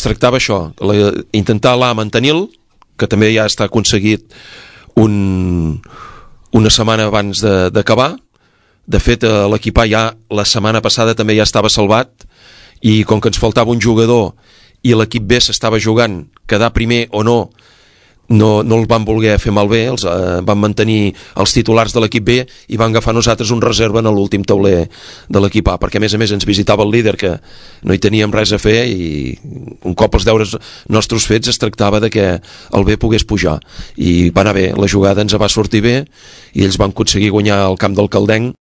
tractava això, intentar mantenir-lo, que també ja està aconseguit una setmana abans d'acabar. De fet, l'equip A ja la setmana passada també ja estava salvat, i com que ens faltava un jugador i l'equip B s'estava jugant quedar primer o no el van voler fer malbé, van mantenir els titulars de l'equip B i van agafar nosaltres un reserva en l'últim tauler de l'equip A, perquè a més ens visitava el líder, que no hi teníem res a fer, i un cop els deures nostres fets es tractava de que el B pogués pujar, i va anar bé, la jugada ens va sortir bé i ells van aconseguir guanyar el camp del Caldenc